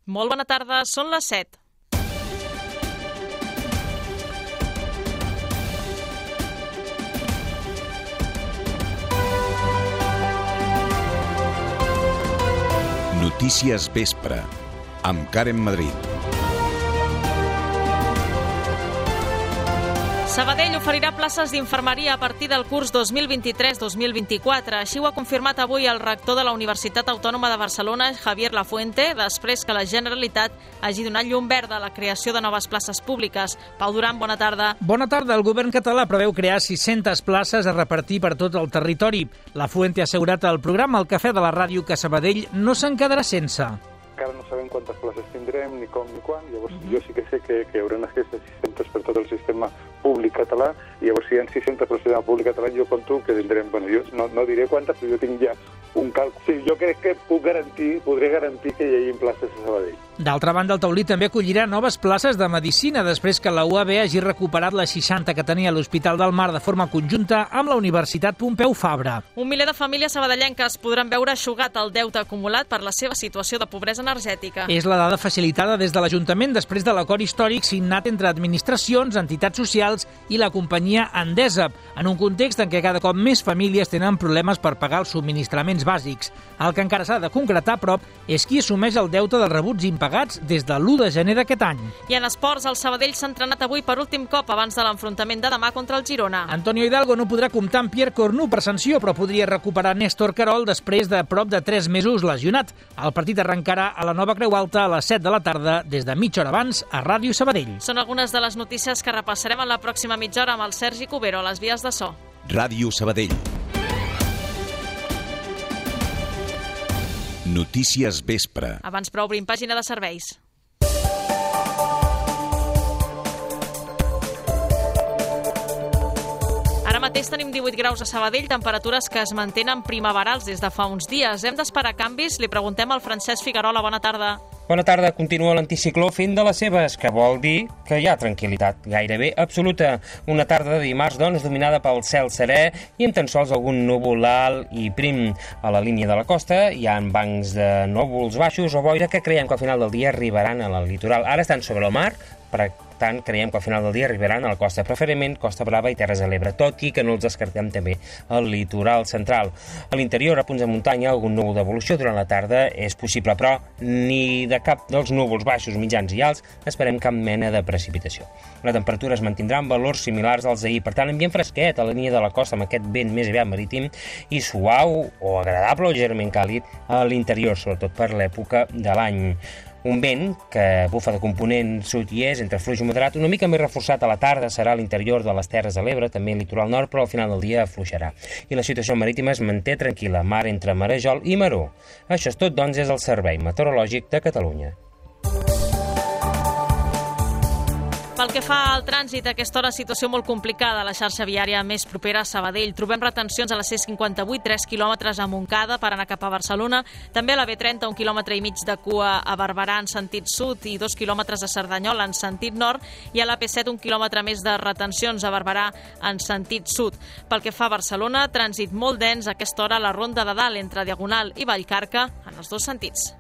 Molt bona tarda, són les 7. Notícies Vespre, amb Karen Madrid. Sabadell oferirà places d'infermeria a partir del curs 2023-2024. Així ho ha confirmat avui el rector de la Universitat Autònoma de Barcelona, Javier Lafuente, després que la Generalitat hagi donat llum verda a la creació de noves places públiques. Pau Duran, bona tarda. Bona tarda. El govern català preveu crear 600 places a repartir per tot el territori. Lafuente ha assegurat al programa El Cafè de la Ràdio que Sabadell no se'n quedarà sense. Encara no sabem quantes places tindrem, ni com ni quan. Llavors, jo sí que sé que hi haurà aquestes 600 per tot el sistema públic català, i llavors si hi ha 600 per el sistema públic català, jo conto que tindrem, jo no diré quantes, però jo tinc ja un càlcul. Sí, jo crec que podré garantir que hi hagi places a Sabadell. D'altra banda, el Taulí també acollirà noves places de medicina després que la UAB hagi recuperat les 60 que tenia l'Hospital del Mar de forma conjunta amb la Universitat Pompeu Fabra. Un miler de famílies sabadellenques podran veure eixugat el deute acumulat per la seva situació de pobresa energètica. És la dada facilitada des de l'Ajuntament després de l'acord històric signat entre administracions, entitats socials i la companyia Endesa, en un context en què cada cop més famílies tenen problemes per pagar els subministraments bàsics. El que encara s'ha de concretar, però, és qui assumeix el deute dels rebuts impagats des de l'1 de gener d'aquest any. I en esports, el Sabadell s'ha entrenat avui per últim cop abans de l'enfrontament de demà contra el Girona. Antonio Hidalgo no podrà comptar amb Pierre Cornu per sanció, però podria recuperar Néstor Querol després de prop de 3 mesos lesionat. El partit arrencarà a la Nova Creu Alta a les 7 de la tarda, des de mitja hora abans, a Ràdio Sabadell. Són algunes de les notícies que repassarem en la pròxima mitja hora amb el Sergi Cubero a les vies de so. Ràdio Sabadell. Notícies Vespre. Abans però obrim pàgina de serveis. Ara mateix tenim 18 graus a Sabadell, temperatures que es mantenen primaverals des de fa uns dies. Hem d'esperar canvis? Li preguntem al Francesc Figuerola. Bona tarda. Bona tarda. Continua l'anticicló fent de les seves, que vol dir que hi ha tranquil·litat gairebé absoluta. Una tarda de dimarts, doncs, dominada pel cel serè i amb tan sols algun núvol alt i prim. A la línia de la costa hi ha bancs de núvols baixos o boira que creiem que al final del dia arribaran al litoral. Ara estan sobre el mar, per tant, creiem que al final del dia arribaran a la costa, preferentment Costa Brava i Terres de l'Ebre, tot i que no els descartem també al litoral central. A l'interior, a punts de muntanya, algun núvol d'evolució durant la tarda és possible, però ni de cap dels núvols baixos, mitjans i alts esperem cap mena de precipitació. La temperatura es mantindrà en valors similars als d'ahir, per tant, ambient fresquet a la línia de la costa amb aquest vent més aviat marítim i suau o agradable o lleugerament càlid a l'interior, sobretot per l'època de l'any. Un vent que bufa de component sud i est, entre fluix i moderat, una mica més reforçat a la tarda, serà a l'interior de les Terres de l'Ebre, també al litoral nord, però al final del dia afluixarà. I la situació marítima es manté tranquil·la, mar entre Marejol i Maró. Això és tot, doncs, és el Servei Meteorològic de Catalunya. Pel que fa al trànsit, a aquesta hora situació molt complicada a la xarxa viària més propera a Sabadell. Trobem retencions a la C58, 3 quilòmetres a Montcada per anar cap a Barcelona. També a la B30, 1,5 quilòmetres de cua a Barberà en sentit sud i 2 quilòmetres a Cerdanyola en sentit nord. I a la P7, 1 quilòmetre més de retencions a Barberà en sentit sud. Pel que fa a Barcelona, trànsit molt dens a aquesta hora a la Ronda de Dalt entre Diagonal i Vallcarca en els dos sentits.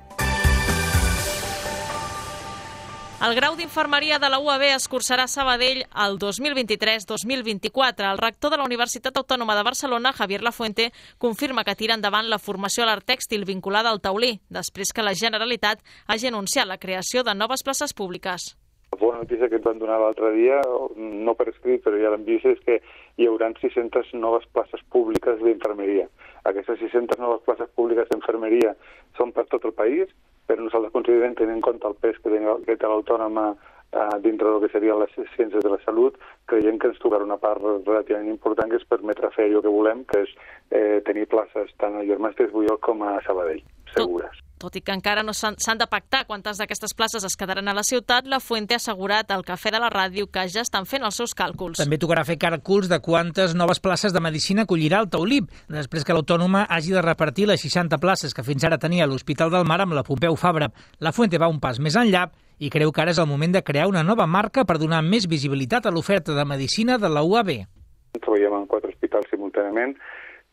El grau d'infermeria de la UAB es cursarà a Sabadell el 2023-2024. El rector de la Universitat Autònoma de Barcelona, Javier Lafuente, confirma que tira endavant la formació a l'art tèxtil vinculada al taulí, després que la Generalitat hagi anunciat la creació de noves places públiques. La bona notícia que ens van donar l'altre dia, no per escrit, però ja l'hem vist, és que hi haurà 600 noves places públiques d'infermeria. Aquestes 600 noves places públiques d'infermeria són per tot el país, però nosaltres considerem, tenint en compte el pes que té l'autònoma dintre del que serien les ciències de la salut, creiem que ens tocarà una part relativament important que ens permetrà fer allò que volem, que és tenir places tant a Germans Desbuyol com a Sabadell, segures. Tot i que encara no s'han de pactar quantes d'aquestes places es quedaran a la ciutat, Lafuente ha assegurat al Cafè de la Ràdio que ja estan fent els seus càlculs. També tocarà fer càlculs de quantes noves places de medicina acollirà el Taulí, després que l'Autònoma hagi de repartir les 60 places que fins ara tenia l'Hospital del Mar amb la Pompeu Fabra. Lafuente va un pas més enllà i creu que ara és el moment de crear una nova marca per donar més visibilitat a l'oferta de medicina de la UAB. Treballem en 4 hospitals simultàniament,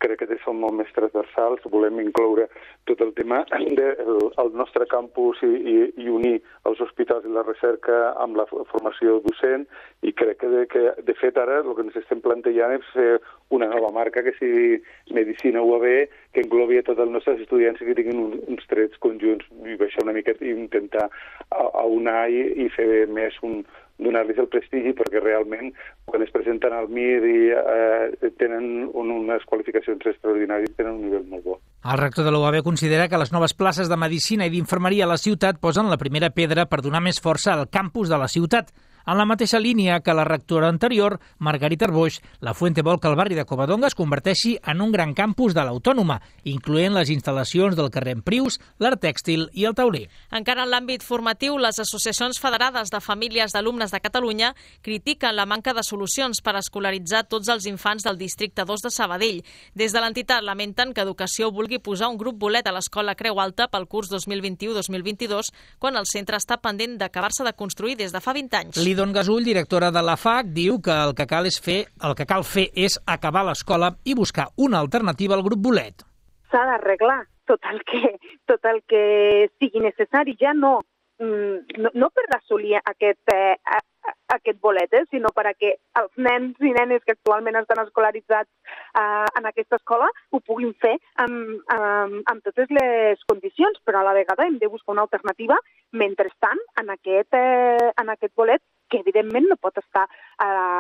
crec que són molt més transversals. Volem incloure tot el tema del nostre campus i unir els hospitals i la recerca amb la formació docent, i crec que de fet ara el que ens estem plantejant és fer una nova marca que sigui Medicina UAB, que englobi a tots els nostres estudiants i que tinguin uns trets conjunts, i això una mica intentar aunar i fer més donar-los el prestigi, perquè realment quan es presenten al MIR i tenen unes qualificacions extraordinàries, tenen un nivell molt bo. El rector de la UAB considera que les noves places de Medicina i d'Infermeria a la ciutat posen la primera pedra per donar més força al campus de la ciutat. En la mateixa línia que la rectora anterior, Margarita Arboix, la Fuente vol que el barri de Covadonga es converteixi en un gran campus de l'Autònoma, incloent les instal·lacions del carrer Emprius, l'Art Tèxtil i el Tauler. Encara en l'àmbit formatiu, les associacions federades de famílies d'alumnes de Catalunya critiquen la manca de solucions per escolaritzar tots els infants del districte 2 de Sabadell. Des de l'entitat lamenten que Educació vulgui posar un grup bolet a l'Escola Creu Alta pel curs 2021-2022, quan el centre està pendent d'acabar-se de construir des de fa 20 anys. Lidon Gasull, directora de la FAC, diu que el que cal fer és acabar l'escola i buscar una alternativa al grup bolet. S'ha d'arreglar tot el que sigui necessari, ja no per assolir aquest bolet, sinó perquè els nens i nenes que actualment estan escolaritzats en aquesta escola ho puguin fer amb totes les condicions, però a la vegada hem de buscar una alternativa mentrestant en aquest bolet, que evidentment no pot estar a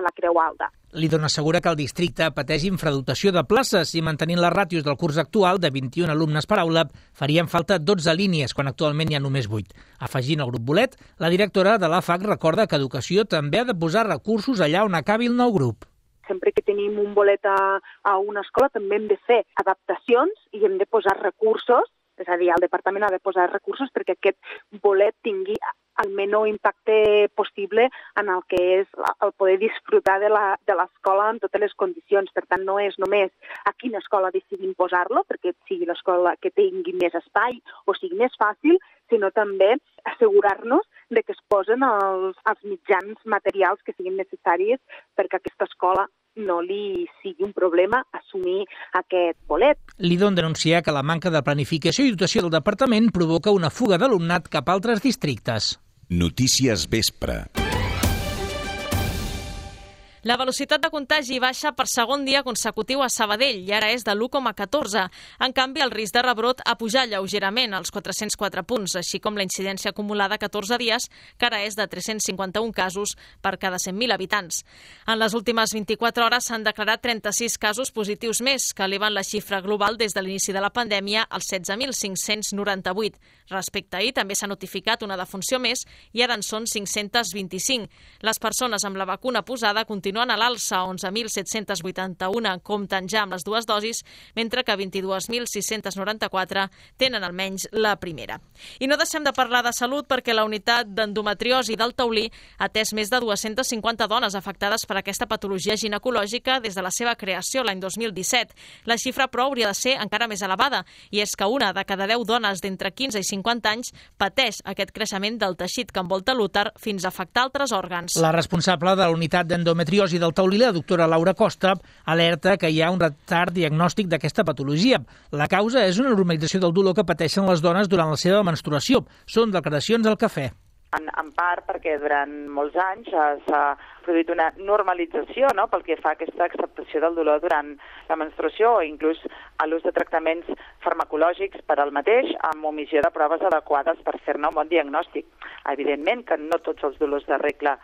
la Creu Alta. Lidon assegura que el districte pateix infradotació de places i mantenint les ràtios del curs actual de 21 alumnes per aula farien falta 12 línies, quan actualment hi ha només 8. Afegint el grup bolet, la directora de la FAC recorda que Educació també ha de posar recursos allà on acabi el nou grup. Sempre que tenim un bolet a una escola també hem de fer adaptacions i hem de posar recursos, és a dir, el departament ha de posar recursos perquè aquest bolet tingui el menor impacte possible en el que és el poder disfrutar de l'escola en totes les condicions. Per tant, no és només a quina escola decidim posar-lo, perquè sigui l'escola que tingui més espai o sigui més fàcil, sinó també assegurar-nos de que es posen els mitjans materials que siguin necessaris perquè aquesta escola no li sigui un problema assumir aquest bolet. Lidon denuncia que la manca de planificació i dotació del departament provoca una fuga d'alumnat cap a altres districtes. Notícies Vespre. La velocitat de contagi baixa per segon dia consecutiu a Sabadell i ara és de l'1,14. En canvi, el risc de rebrot ha pujat lleugerament als 404 punts, així com la incidència acumulada a 14 dies, que ara és de 351 casos per cada 100.000 habitants. En les últimes 24 hores s'han declarat 36 casos positius més, que eleven la xifra global des de l'inici de la pandèmia als 16.598. Respecte a ahir, també s'ha notificat una defunció més i ara en són 525. Les persones amb la vacuna posada continuen a l'alça, 11.781 compten ja amb les dues dosis, mentre que 22.694 tenen almenys la primera. I no deixem de parlar de salut perquè la unitat d'endometriosi del Taulí ha atès més de 250 dones afectades per aquesta patologia ginecològica des de la seva creació l'any 2017. La xifra, però, hauria de ser encara més elevada, i és que una de cada 10 dones d'entre 15 i 50 anys pateix aquest creixement del teixit que envolta l'úter fins a afectar altres òrgans. La responsable de la unitat d'endometriosi del Taulí, la doctora Laura Costa, alerta que hi ha un retard diagnòstic d'aquesta patologia. La causa és una normalització del dolor que pateixen les dones durant la seva menstruació. Són declaracions al Cafè. En part perquè durant molts anys s'ha produït una normalització, no?, pel que fa a aquesta acceptació del dolor durant la menstruació o inclús a l'ús de tractaments farmacològics per al mateix, amb omissió de proves adequades per fer-ne un bon diagnòstic. Evidentment que no tots els dolors de regla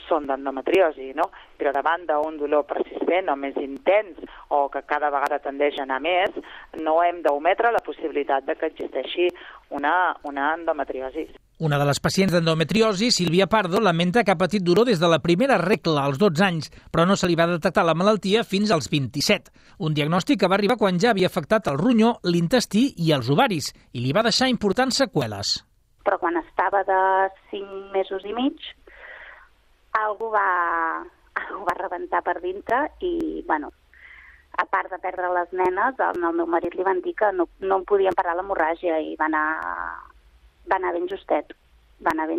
són d'endometriosi, no? Però davant d'un dolor persistent o més intens o que cada vegada tendeix a anar més, no hem d'ometre la possibilitat de que existeixi una endometriosi. Una de les pacients d'endometriosi, Sílvia Pardo, lamenta que ha patit dolor des de la primera regla als 12 anys, però no se li va detectar la malaltia fins als 27. Un diagnòstic que va arribar quan ja havia afectat el ronyó, l'intestí i els ovaris, i li va deixar importants seqüeles. Però quan estava de 5 mesos i mig, algú va rebentar per dintre i, bueno, a part de perdre les nenes, al meu marit li van dir que no en podien parar l'hemorràgia i va anar ben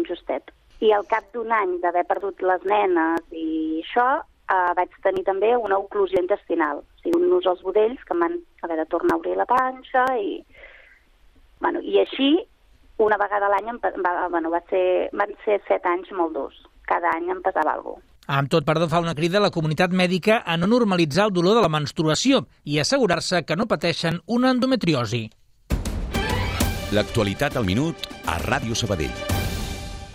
justet. I al cap d'un any d'haver perdut les nenes i això, vaig tenir també una oclusió intestinal. O diuen-nos els budells, que van haver de tornar a obrir la panxa, i així, una vegada a l'any van ser 7 anys molt durs. Cada any em pesava alguna cosa. Amb tot, Pardo fa una crida a la comunitat mèdica a no normalitzar el dolor de la menstruació i assegurar-se que no pateixen una endometriosi. L'actualitat al minut a Ràdio Sabadell.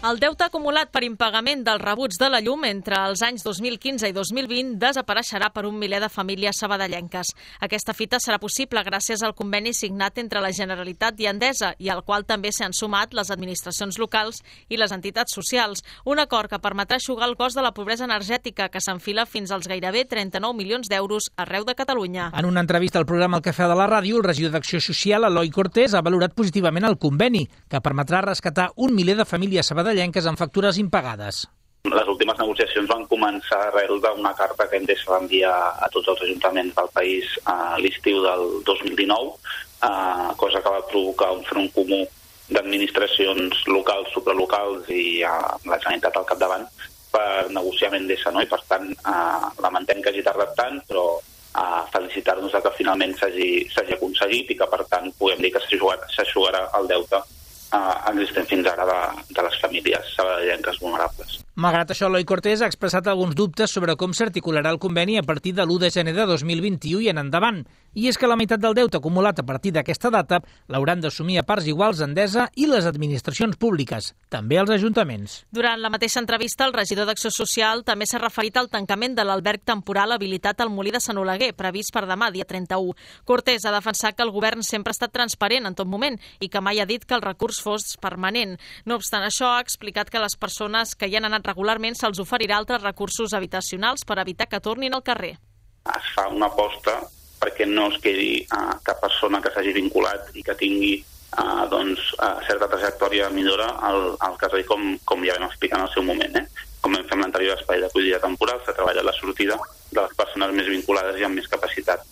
El deute acumulat per impagament dels rebuts de la llum entre els anys 2015 i 2020 desapareixerà per un miler de famílies sabadellenques. Aquesta fita serà possible gràcies al conveni signat entre la Generalitat i Endesa i al qual també s'han sumat les administracions locals i les entitats socials. Un acord que permetrà eixugar el cost de la pobresa energètica que s'enfila fins als gairebé 39 milions d'euros arreu de Catalunya. En una entrevista al programa El Cafè de la Ràdio, el regidor d'Acció Social, Eloi Cortés, ha valorat positivament el conveni, que permetrà rescatar un miler de famílies sabadellenques amb factures impagades. Les últimes negociacions van començar arrel d'una carta que Endesa va enviar a tots els ajuntaments del país a l'estiu del 2019, cosa que va provocar un front comú d'administracions locals, supralocals i la Generalitat al capdavant per negociar amb Endesa, no? I per tant lamentem que hagi tardat tant, però felicitar-nos que finalment s'hagi aconseguit i que per tant podem dir que s'eixugarà el deute existent fins ara de les famílies sabadellenques vulnerables. Malgrat això, Eloi Cortés ha expressat alguns dubtes sobre com s'articularà el conveni a partir de l'1 de gener de 2021 i en endavant. I és que la meitat del deute acumulat a partir d'aquesta data l'hauran d'assumir a parts iguals Endesa i les administracions públiques, també els ajuntaments. Durant la mateixa entrevista, el regidor d'Acció Social també s'ha referit al tancament de l'alberg temporal habilitat al Molí de Sant Oleguer, previst per demà, dia 31. Cortés ha defensat que el govern sempre ha estat transparent en tot moment i que mai ha dit que el recurs fos permanent. No obstant això, ha explicat que les persones que hi han anat regularment se'ls oferirà altres recursos habitacionals per evitar que tornin al carrer. Es fa una aposta perquè no es quedi cap persona que s'hagi vinculat i que tingui certa trajectòria de millora al carrer, com ja vam explicar en el seu moment. Com vam fer amb l'anterior espai d'acollida temporal, s'ha treballat la sortida de les persones més vinculades i amb més capacitat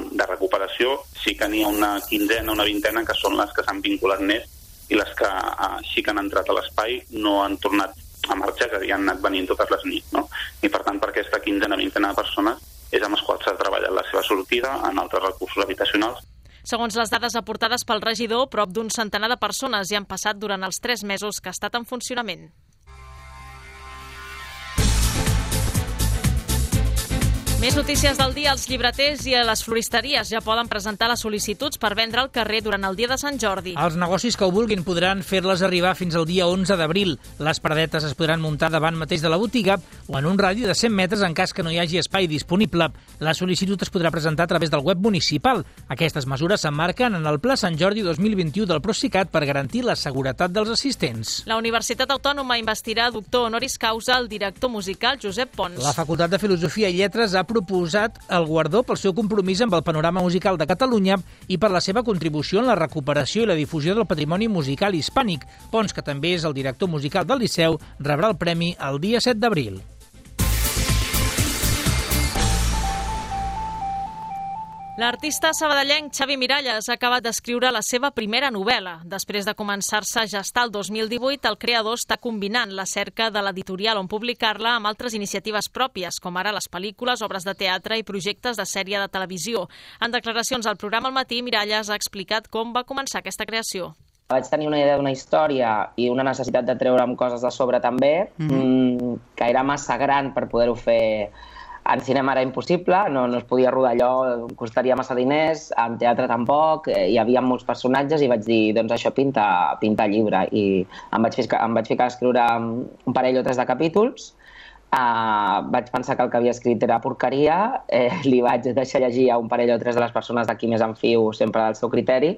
de recuperació. Sí que n'hi ha una quinzena, una vintena, que són les que s'han vinculat més i les que sí que han entrat a l'espai no han tornat a marxar, que han anat venint totes les nits, no? I per tant, per aquesta quinzena, vintena de persones és amb les quals s'ha treballat la seva sortida en altres recursos habitacionals. Segons les dades aportades pel regidor, prop d'un centenar de persones hi han passat durant els 3 mesos que ha estat en funcionament. Més notícies del dia. Els llibreters i les floristeries ja poden presentar les sol·licituds per vendre al carrer durant el dia de Sant Jordi. Els negocis que ho vulguin podran fer-les arribar fins al dia 11 d'abril. Les paradetes es podran muntar davant mateix de la botiga o en un radi de 100 metres en cas que no hi hagi espai disponible. La sol·licitud es podrà presentar a través del web municipal. Aquestes mesures s'emmarquen en el Pla Sant Jordi 2021 del Procicat per garantir la seguretat dels assistents. La Universitat Autònoma investirà doctor honoris causa al director musical Josep Pons. La Facultat de Filosofia i Lletres ha proposat el guardó pel seu compromís amb el panorama musical de Catalunya i per la seva contribució en la recuperació i la difusió del patrimoni musical hispànic. Pons, que també és el director musical del Liceu, rebrà el premi el dia 7 d'abril. L'artista sabadellenc Xavi Miralles ha acabat d'escriure la seva primera novel·la. Després de començar-se a gestar el 2018, el creador està combinant la cerca de l'editorial on publicar-la amb altres iniciatives pròpies, com ara les pel·lícules, obres de teatre i projectes de sèrie de televisió. En declaracions al programa Al Matí, Miralles ha explicat com va començar aquesta creació. Vaig tenir una idea d'una història i una necessitat de treure'm coses de sobre també, que era massa gran per poder-ho fer. En cinema era impossible, no es podia rodar allò, costaria massa diners, en teatre tampoc, hi havia molts personatges i vaig dir, doncs això pinta llibre. I em vaig ficar a escriure un parell o 3 de capítols, vaig pensar que el que havia escrit era porqueria, li vaig deixar llegir a un parell o 3 de les persones de qui més em fio sempre del seu criteri,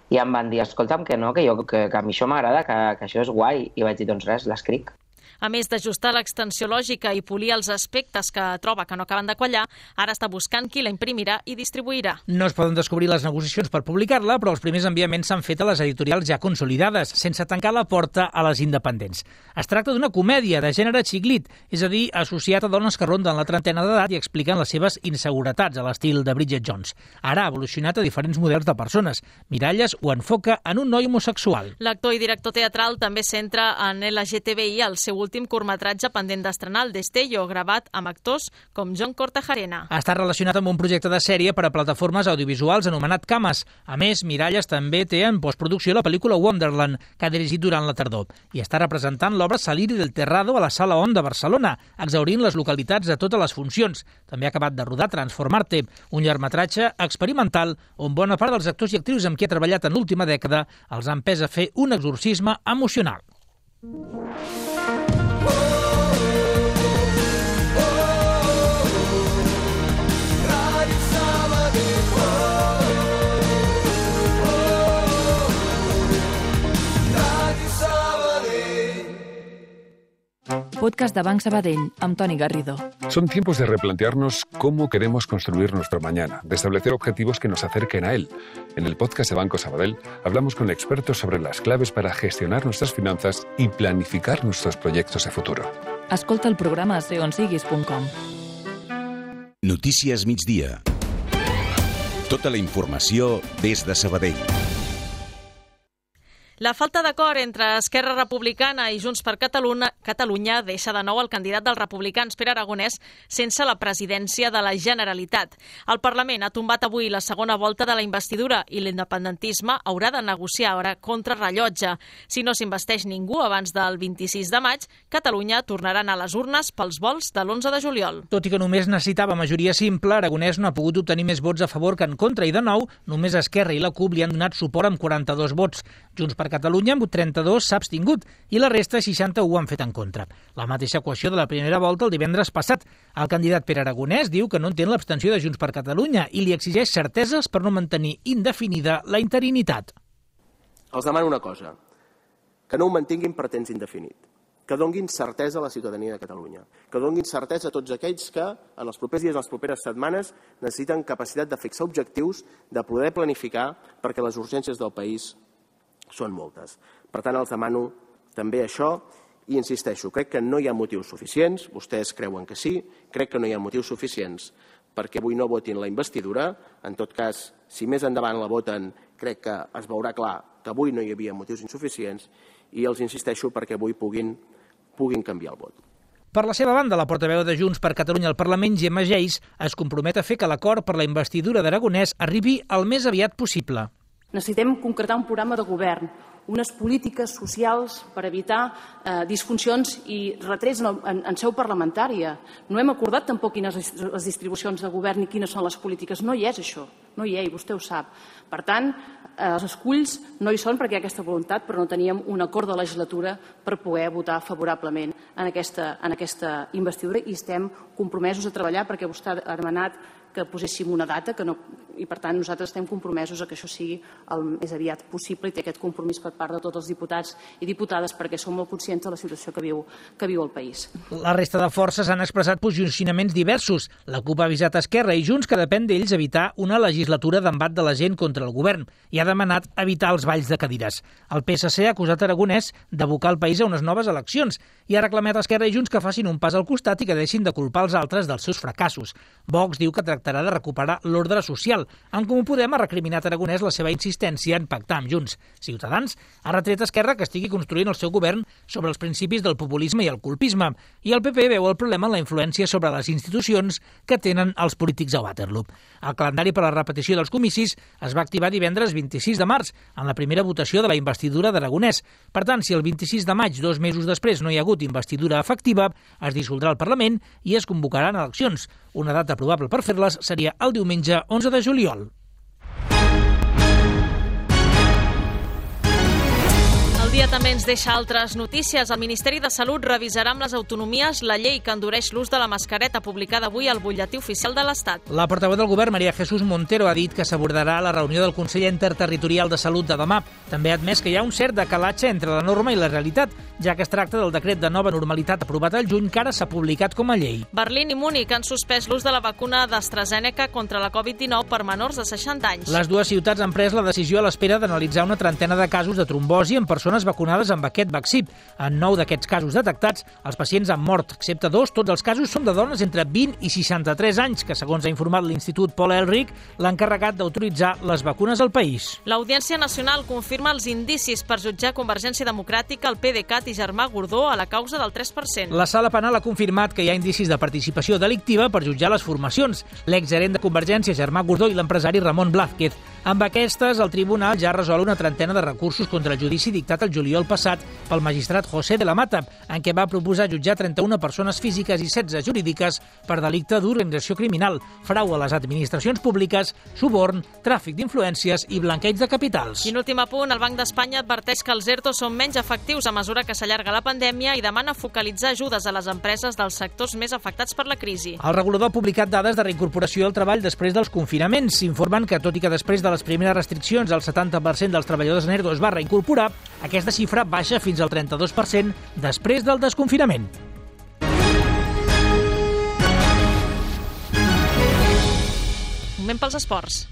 i em van dir, escolta'm, que no, que a mi això m'agrada, que això és guai. I vaig dir, doncs res, l'escric. A més d'ajustar l'extensió lògica i polir els aspectes que troba que no acaben de quallar, ara està buscant qui la imprimirà i distribuirà. No es poden descobrir les negociacions per publicar-la, però els primers enviaments s'han fet a les editorials ja consolidades, sense tancar la porta a les independents. Es tracta d'una comèdia de gènere xiclit, és a dir, associat a dones que ronden la trentena d'edat i expliquen les seves inseguretats a l'estil de Bridget Jones. Ara ha evolucionat a diferents models de persones. Miralles ho enfoca en un noi homosexual. L'actor i director teatral també centra en LGTBI al seu seu últim curtmetratge pendent d'estrenar, El Destello, gravat amb actors com John Cortajarena. Està relacionat amb un projecte de sèrie per a plataformes audiovisuals anomenat Cames. A més, Miralles també té en postproducció la pel·lícula Wonderland, que ha dirigit durant la tardor, i està representant l'obra Saliri del Terrado a la Sala On de Barcelona, exhaurint les localitats de totes les funcions. També ha acabat de rodar Transformarte, un llargmetratge experimental on bona part dels actors i actrius amb qui ha treballat en l'última dècada els han empès a fer un exorcisme emocional. Podcast de Banc Sabadell, amb Toni Garrido. Son tiempos de replantearnos cómo queremos construir nuestro mañana, de establecer objetivos que nos acerquen a él. En el podcast de Banco Sabadell hablamos con expertos sobre las claves para gestionar nuestras finanzas y planificar nuestros proyectos de futuro. Escolta el programa a segonsiguis.com. Notícies migdia. Tota la informació des de Sabadell. La falta d'acord entre Esquerra Republicana i Junts per Catalunya deixa de nou el candidat dels republicans, Pere Aragonès, sense la presidència de la Generalitat. El Parlament ha tombat avui la segona volta de la investidura i l'independentisme haurà de negociar ara contra rellotge. Si no s'investeix ningú abans del 26 de maig, Catalunya tornarà a anar a les urnes pels vols de l'11 de juliol. Tot i que només necessitava majoria simple, Aragonès no ha pogut obtenir més vots a favor que en contra i, de nou, només Esquerra i la CUP li han donat suport amb 42 vots. Junts per Catalunya, amb 32, s'ha abstingut i la resta, 60, ho han fet en contra. La mateixa equació de la primera volta el divendres passat. El candidat Pere Aragonès diu que no entén l'abstenció de Junts per Catalunya i li exigeix certeses per no mantenir indefinida la interinitat. Els demano una cosa, que no ho mantinguin per temps indefinit, que donguin certesa a la ciutadania de Catalunya, que donguin certesa a tots aquells que en els propers dies, en les properes setmanes, necessiten capacitat de fixar objectius, de poder planificar, perquè les urgències del país són moltes. Per tant, els demano també això i insisteixo, crec que no hi ha motius suficients, vostès creuen que sí, crec que no hi ha motius suficients perquè avui no votin la investidura. En tot cas, si més endavant la voten, crec que es veurà clar que avui no hi havia motius insuficients i els insisteixo perquè avui puguin canviar el vot. Per la seva banda, la portaveu de Junts per Catalunya al Parlament, Gemma Geis, es compromet a fer que l'acord per la investidura d'Aragonès arribi el més aviat possible. Necessitem concretar un programa de govern, unes polítiques socials per evitar disfuncions i retrets en seu parlamentària. No hem acordat tampoc quines les distribucions de govern i quines són les polítiques. No hi és això, no hi és, vostè ho sap. Per tant, els esculls no hi són perquè hi ha aquesta voluntat, però no teníem un acord de legislatura per poder votar favorablement en aquesta investidura i estem compromesos a treballar perquè vostè ha demanat que poséssim una data i, per tant, nosaltres estem compromesos a que això sigui el més aviat possible i té aquest compromís per part de tots els diputats i diputades perquè som molt conscients de la situació que viu el país. La resta de forces han expressat posicionaments diversos. La CUP ha avisat Esquerra i Junts que depèn d'ells evitar una legislatura d'embat de la gent contra el govern i ha demanat evitar els balls de cadires. El PSC ha acusat Aragonès d'abocar el país a unes noves eleccions i ha reclamat a Esquerra i Junts que facin un pas al costat i que deixin de culpar els altres dels seus fracassos. Vox diu que tractarà de recuperar l'ordre social. En Comú Podem ha recriminat a Aragonès la seva insistència en pactar amb Junts. Ciutadans ha retret a Esquerra que estigui construint el seu govern sobre els principis del populisme i el colpisme. I el PP veu el problema en la influència sobre les institucions que tenen els polítics a Waterloo. El calendari per a la repetició dels comicis es va activar divendres 26 de març, en la primera votació de la investidura d'Aragonès. Per tant, si el 26 de maig, 2 mesos després, no hi ha hagut investidura efectiva, es dissoldrà el Parlament i es convocaran eleccions. Una data probable per fer-les seria el diumenge 11 de juliol. El dia també ens deixa altres notícies. El Ministeri de Salut revisarà amb les autonomies la llei que endureix l'ús de la mascareta publicada avui al Butlletí Oficial de l'Estat. La portaveu del Govern, María Jesús Montero, ha dit que s'abordarà a la reunió del Consell Interterritorial de Salut de demà. També ha admès que hi ha un cert decalatge entre la norma i la realitat, ja que es tracta del decret de nova normalitat aprovat al juny que ara s'ha publicat com a llei. Berlín i Múnich han suspès l'ús de la vacuna d'AstraZeneca contra la Covid-19 per menors de 60 anys. Les dues ciutats han pres la decisió a l'espera d'analitzar una trentena de casos de trombosi en persones persones vacunades amb aquest vaccí. En 9 d'aquests casos detectats, els pacients han mort, excepte 2. Tots els casos són de dones entre 20 i 63 anys, que, segons ha informat l'Institut Paul Ehrlich, l'ha encarregat d'autoritzar les vacunes al país. L'Audiència Nacional confirma els indicis per jutjar Convergència Democràtica, el PDeCAT i Germà Gordó a la causa del 3%. La Sala Penal ha confirmat que hi ha indicis de participació delictiva per jutjar les formacions. L'exgerent de Convergència, Germà Gordó, i l'empresari Ramon Blázquez. Amb aquestes, el tribunal ja resol una trentena de recursos contra el judici dictat el juliol passat pel magistrat José de la Mata, en què va proposar jutjar 31 persones físiques i 16 jurídiques per delicte d'organització criminal, frau a les administracions públiques, suborn, tràfic d'influències i blanqueig de capitals. I en últim apunt, el Banc d'Espanya adverteix que els ERTO són menys efectius a mesura que s'allarga la pandèmia i demana focalitzar ajudes a les empreses dels sectors més afectats per la crisi. El regulador ha publicat dades de reincorporació al treball després dels confinaments. S'informen que, tot i que després de les primeres restriccions el 70% dels treballadors en ERTO es va reincorporar, aquesta xifra baixa fins al 32% després del desconfinament. Moment pels esports.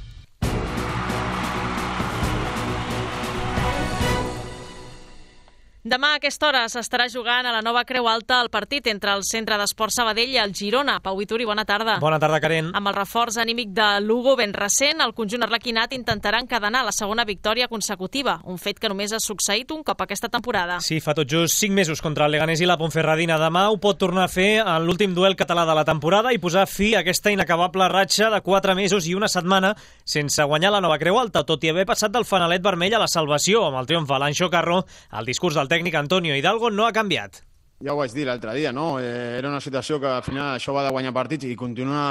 Demà a aquesta hora s'estarà jugant a la nova Creu Alta el partit entre el Centre d'Esport Sabadell i el Girona. Pau Vituri, bona tarda. Bona tarda, Karen. Amb el reforç anímic de Lugo ben recent, el conjunt arlequinat intentarà encadenar la segona victòria consecutiva, un fet que només ha succeït un cop aquesta temporada. Sí, fa tot just 5 mesos contra el Leganés i la Ponferradina. Demà ho pot tornar a fer en l'últim duel català de la temporada i posar fi a aquesta inacabable ratxa de 4 mesos i una setmana sense guanyar la nova Creu Alta, tot i haver passat del fanalet vermell a la salvació amb el triomf a l'Anxo Carro. El discurs del tècnic Antonio Hidalgo no ha canviat. Ja ho vaig dir l'altre dia, no? Era una situació que al final això va de guanyar partits i continua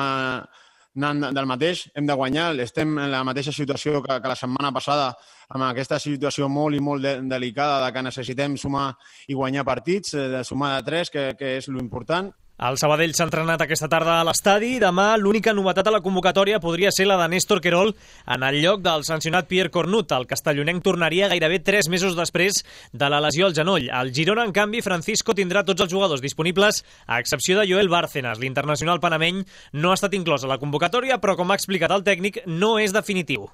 anant del mateix. Hem de guanyar, estem en la mateixa situació que la setmana passada, amb aquesta situació molt i molt delicada de que necessitem sumar i guanyar partits, de sumar de 3, que és l'important. El Sabadell s'ha entrenat aquesta tarda a l'estadi i demà l'única novetat a la convocatòria podria ser la de Néstor Querol en el lloc del sancionat Pierre Cornut. El castellonenc tornaria gairebé 3 mesos després de la lesió al genoll. Al Girona, en canvi, Francisco tindrà tots els jugadors disponibles, a excepció de Joel Bárcenas. L'internacional panameny no ha estat inclòs a la convocatòria, però, com ha explicat el tècnic, no és definitiu.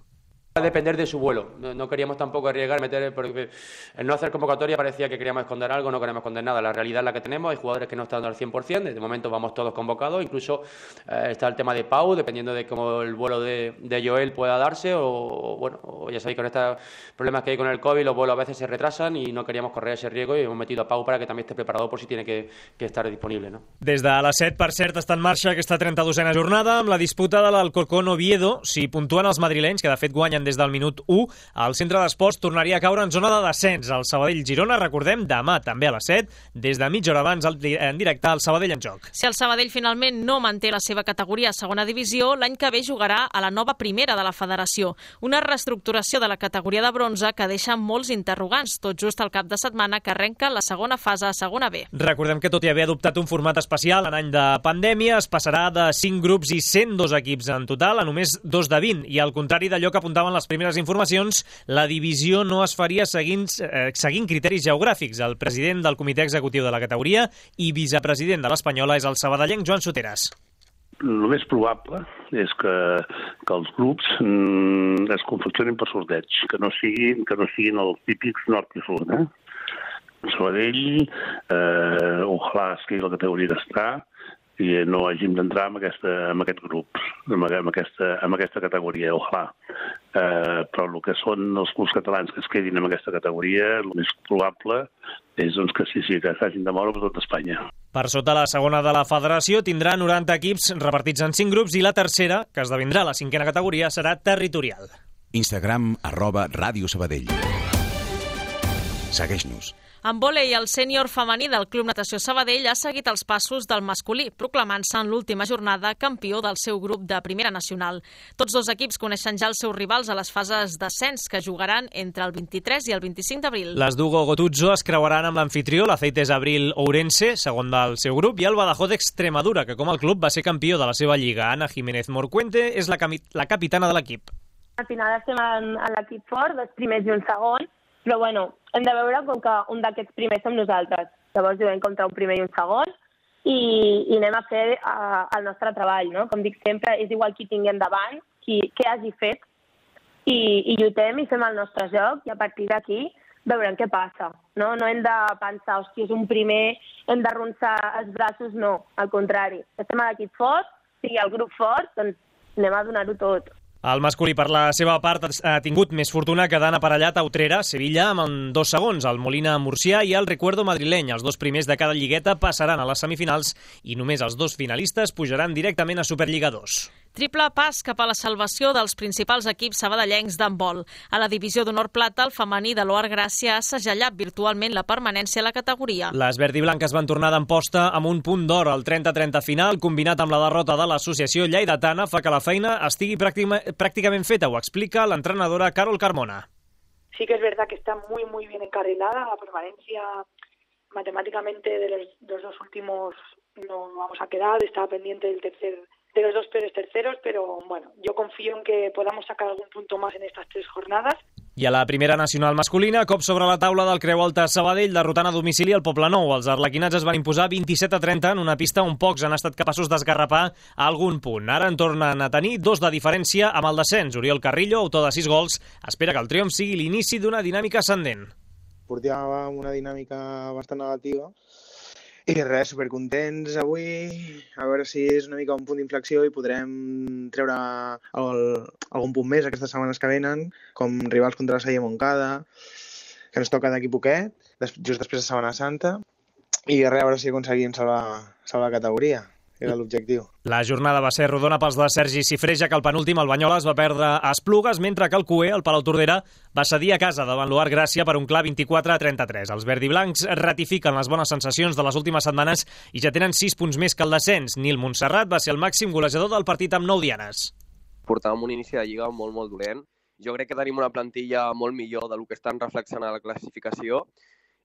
Va a depender de su vuelo. No queríamos tampoco arriesgar, porque el no hacer convocatoria parecía que queríamos esconder algo, no queremos esconder nada. La realidad es la que tenemos, hay jugadores que no están al 100%, de momento vamos todos convocados, incluso está el tema de Pau, dependiendo de cómo el vuelo de Joel pueda darse, o ya sabéis, con estos problemas que hay con el COVID, los vuelos a veces se retrasan y no queríamos correr ese riesgo y hemos metido a Pau para que también esté preparado por si tiene que estar disponible, no? Des de les 7, per cert, està en marxa aquesta 32a jornada amb la disputa de l'Alcorcón-Oviedo. Si puntuen els madrilenys, que de fet guanyen des del minut 1, el centre d'esports tornaria a caure en zona de descens. El Sabadell-Girona, recordem, demà també a les 7, des de mitja hora abans en directe al Sabadell en joc. Si el Sabadell finalment no manté la seva categoria a segona divisió, l'any que ve jugarà a la nova primera de la federació. Una reestructuració de la categoria de bronze que deixa molts interrogants, tot just al cap de setmana que arrenca la segona fase a segona B. Recordem que, tot i haver adoptat un format especial en any de pandèmia, es passarà de 5 grups i 102 equips en total a només 2 de 20, i al contrari d'allò que apuntaven les primeres informacions, la divisió no es faria seguint criteris geogràfics. El president del comitè executiu de la categoria i vicepresident de l'Espanyola és el sabadellenc Joan Soteras. El més probable és que els grups es confeccionin per sorteig, que no siguin els típics nord i sud. Sabadell, ojalà es quedi la categoria que està, i no hàgim d'entrar en aquest grup, en aquesta categoria, ojalà. Però el que són els clubs catalans que es quedin en aquesta categoria, el més probable és que sí, que s'hagin de moure per tot Espanya. Per sota, la segona de la federació tindrà 90 equips repartits en 5 grups i la tercera, que esdevindrà la 5a categoria, serà territorial. Instagram @Ràdio Sabadell. Segueix-nos. En vòlei, el sènior femení del Club Natació Sabadell ha seguit els passos del masculí, proclamant-se en l'última jornada campió del seu grup de Primera Nacional. Tots dos equips coneixen ja els seus rivals a les fases d'ascens, que jugaran entre el 23 i el 25 d'abril. Les Dugo Gotuzzo es creuaran amb l'anfitrió, l'Aceites Abril Ourense, segon del seu grup, i el Badajoz Extremadura, que com el club va ser campió de la seva lliga. Ana Jiménez Morcuente és la capitana de l'equip. Al final estem en l'equip fort, dos primers i un segon, però bueno, hem de veure com que un d'aquests primers som nosaltres. Llavors juguem contra un primer i un segon i anem a fer el nostre treball, no? Com dic sempre, és igual qui tinguem davant, què hagi fet, i lluitem i fem el nostre joc, i a partir d'aquí veurem què passa. No hem de pensar, hòstia, és un primer, hem d'arronsar els braços, no, al contrari. Estem a l'equip fort, sigui el grup fort, doncs anem a donar-ho tot. El masculí, per la seva part, ha tingut més fortuna quedant aparellat a Utrera, Sevilla, amb 2 segons, el Molina Murcià i el Recuerdo madrileny. Els 2 primers de cada lligueta passaran a les semifinals i només els 2 finalistes pujaran directament a Superliga 2. Triple pas cap a la salvació dels principals equips sabadellencs d'handbol. A la divisió d'honor plata, el femení de l'Oar Gràcia ha segellat virtualment la permanència a la categoria. Les verd i blanques van tornar d'Amposta amb un punt d'or. El 30-30 final, combinat amb la derrota de l'associació lleidatana, fa que la feina estigui pràcticament feta. Ho explica l'entrenadora Carol Carmona. Sí que es verdad que está muy bien encarrilada. La permanencia matemáticamente de los 2 últimos no vamos a quedar. Estaba pendiente de los 2 peores terceros, pero bueno, yo confío en que podamos sacar algún punto más en estas 3 jornadas. I a la primera nacional masculina, cop sobre la taula del Creu Alta Sabadell, derrotant a domicili el Poblenou. Els arlequinats es van imposar 27-30 en una pista on pocs han estat capaços d'esgarrapar a algun punt. Ara en tornen a tenir 2 de diferència amb el descens. Oriol Carrillo, autor de 6 gols, espera que el triomf sigui l'inici d'una dinàmica ascendent. Portàvem una dinàmica bastant negativa i res, supercontents avui, a veure si és una mica un punt d'inflexió i podrem treure algun punt més aquestes setmanes que venen, com rivals contra la Salle Montcada, que ens toca d'aquí poquet, just després de Setmana Santa, i res, a veure si aconseguim salvar la categoria. Era l'objectiu. La jornada va ser rodona pels de Sergi Cifreja, que el penúltim, el Banyoles, va perdre a Esplugues, mentre que el Cué, el Palau Tordera, va cedir a casa davant l'Oar Gràcia per un clar 24-33. Els verdiblancs ratifiquen les bones sensacions de les últimes setmanes i ja tenen 6 punts més que el descens. Nil Montserrat va ser el màxim golejador del partit amb 9 dianes. Portàvem un inici de lliga molt dolent. Jo crec que tenim una plantilla molt millor del que estan reflexant a la classificació.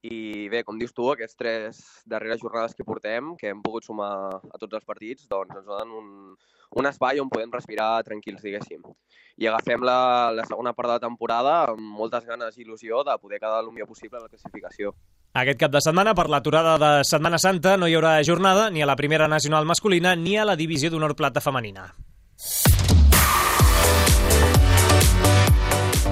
I bé, com dius tu, aquests 3 darreres jornades que portem, que hem pogut sumar a tots els partits, doncs ens donen un espai on podem respirar tranquils, diguéssim. I agafem la segona part de la temporada amb moltes ganes i il·lusió de poder quedar el millor possible a la classificació. Aquest cap de setmana, per l'aturada de Setmana Santa, no hi haurà jornada ni a la primera nacional masculina ni a la divisió d'honor plata femenina.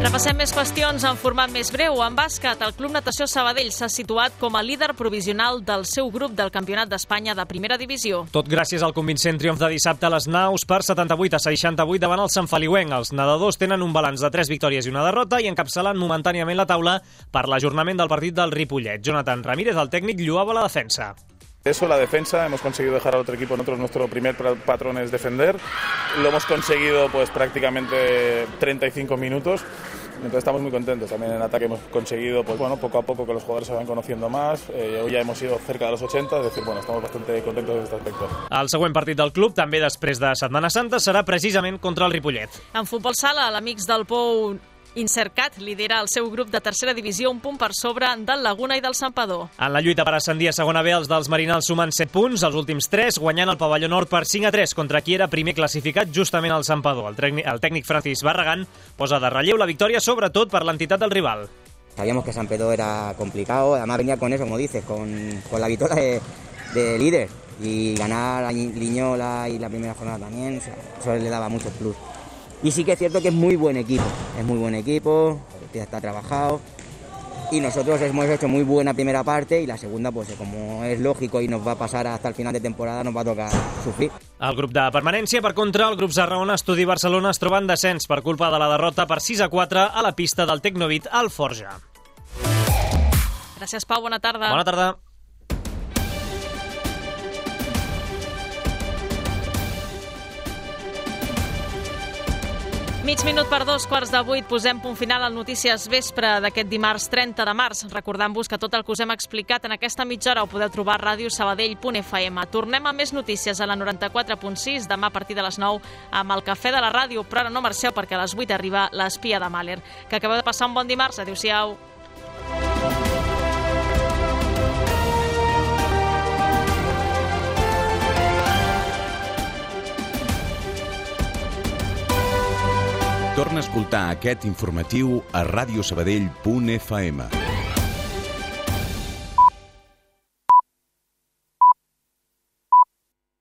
Repassem més qüestions en format més breu. En bàsquet, el Club Natació Sabadell s'ha situat com a líder provisional del seu grup del Campionat d'Espanya de Primera Divisió. Tot gràcies al convincent triomf de dissabte a les Naus per 78-68 davant el Sant Feliuenc. Els nedadors tenen un balanç de 3 victòries i una derrota i encapçalen momentàniament la taula per l'ajornament del partit del Ripollet. Jonathan Ramírez, el tècnic, lloava la defensa. Eso, la defensa, hemos conseguido dejar al otro equipo, nosotros nuestro primer patrón es defender, lo hemos conseguido pues prácticamente 35 minutos, entonces estamos muy contentos. También en ataque hemos conseguido, pues bueno, poco a poco que los jugadores se vayan conociendo más, hoy ya hemos ido cerca de los 80, es decir, bueno, estamos bastante contentos en este aspecto. El següent partit del club, també després de Setmana Santa, serà precisament contra el Ripollet. En futbol sala, l'Amics del Pou Incercat lidera el seu grup de tercera divisió un punt per sobre del Laguna i del Santpedor. En la lluita per ascendir a segona B, els dels Marinals sumen 7 punts, els últims 3, guanyant el pavelló nord per 5-3 contra qui era primer classificat, justament el Santpedor. El tècnic Francis Barragán posa de relleu la victòria, sobretot per l'entitat del rival. Sabíamos que Santpedor era complicado, además venía con eso, como dices, con la victoria de líder y ganar a Liñola y la primera jornada también, eso le daba mucho plus. Y sí que es cierto que es muy buen equipo, ya está trabajado y nosotros hemos hecho muy buena primera parte y la segunda, pues como es lógico y nos va a pasar hasta el final de temporada, nos va a tocar sufrir. El grup de permanència, per contra, el grup Sarraona, Estudi Barcelona es troba en descens per culpa de la derrota per 6-4 a la pista del Tecnovit al Forja. Gràcies, Pau, bona tarda. Bona tarda. Mig minut per 2:15, posem punt final al Notícies Vespre d'aquest dimarts 30 de març. Recordant-vos que tot el que us hem explicat en aquesta mitja hora ho podeu trobar a radiosabadell.fm. Tornem a més notícies a la 94.6 demà a partir de les 9 amb el Cafè de la Ràdio, però ara no marxeu perquè a les 8 arriba l'Espia de Mahler. Que acabeu de passar un bon dimarts. Adéu-siau. Torna a escoltar aquest informatiu a radiosabadell.fm.